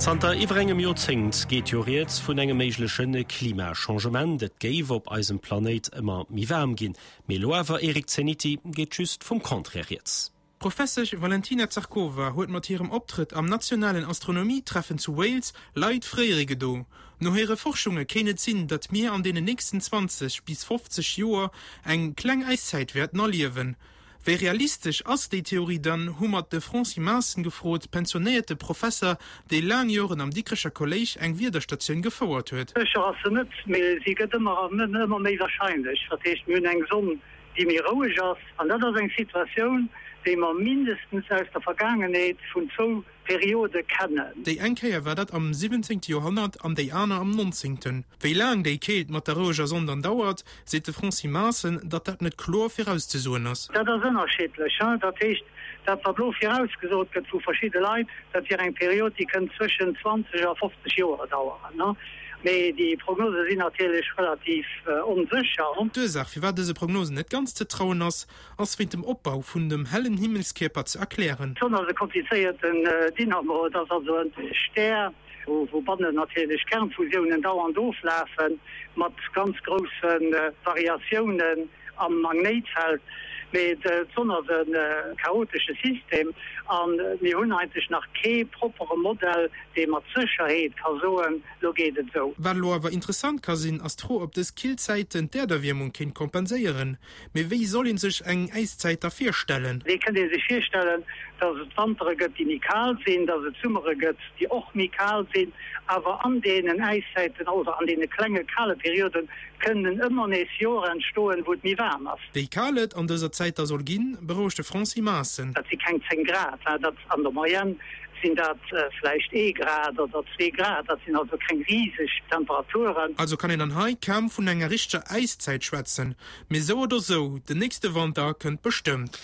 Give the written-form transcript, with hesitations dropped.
Zanter iwwer engem Joerzéngt geet jo rieds vun engem méigleche Klimachangement. Et géif op eisem Planéit ëmmer méi waarm ginn. Mee elo awer, Eric Zeniti, geet just vum Contraire rieds. D'Professesch Valentina Zharkova huet mat hirem Optrëtt am nationalen Astronomie-Treffen zu Wales Leit fréiere gedo. No hire Forschunge kéint et sinn, datt mir an deenen nächsten 20 bis 50 Joer eng kleng Äiszäit wäerten erliewen. Wéi realistesch ass déi Theorie dann, hu mer de Francis Maassen gefrot, pensionéierte Professer, dee laang Joren am Dikrecher Kolléisch eng Wiederstatioun gefouert huet. Sécher ass se net, mee si gëtt ëmmer an ëmmer méi warscheinlech. Dat heescht, mir hunn eng Sonn, déi méi roueg ass, an dat ass eng Situatioun, déi mer mindestens aus der Vergaangenheet vun zwou Periode kennen. Déi eng Kéier war dat am siwwenzéngte Joerhonnert an déi aner am nonzéngten. Wéi laang déi Keelt mat der roueger Sonn dann dauert, seet de Francis Maassen, datt dat net kloer virauszesoen ass. Dat ass ënnerschiddlech. Dat heescht, dat wat elo virausgesot gëtt vu verschidde Leit, dat wier eng Period, déi kënnt zwëschen 20 a 50 Joer daueren. Mee déi Prognose sinn natierlech relativ onsécher. D'Ursaach, firwat dëse Prognosen net ganz ze trauen ass, ass wéint dem Opbau vun dem hellen Himmelskierper ze erklären. D'Sonn ass e komplizéierten Dynamo. Et ass also e Stär, wou bannen natierlech Kernfusiounen dauernd oflafen, mat ganz grousse Variatiounen am Magnéitfeld. Mee d'Sonn ass e chaotesche System a mir hunn eigentlech nach kee proppere Modell, dee mat Sécherheet ka soen, Lo geet et esou. Wat elo awer interessant ka sinn, ass d'Fro, ob dës kill Zäiten d'Äerderwiermung kéint kompenséieren. Mee wéi soll een sech eng Äiszäit da virstellen? Et kënnt ee sech virstellen, datt et Wantere gëtt, déi méi kal sinn, datt et Summere gëtt, déi och méi kal sinn. Awer an deenen Äiszäiten oder an deene klenge kale Perioden kënnen ëmmer nees Joer entstoen, wou et méi waarm ass. Wéi kal et an dëser Zäit da soll ginn, berouegt de Francis Maassen. Dat si keng 10 Grad, dat an der Moyenne sinn dat vläicht ee Grad oder zwee Grad. Dat sinn also keng riseg Temperaturen. Also kann een dann hei kaum vun enger richteger Äiszäit schwätzen. Mee sou oder sou, den nächste Wanter kënnt bestëmmt.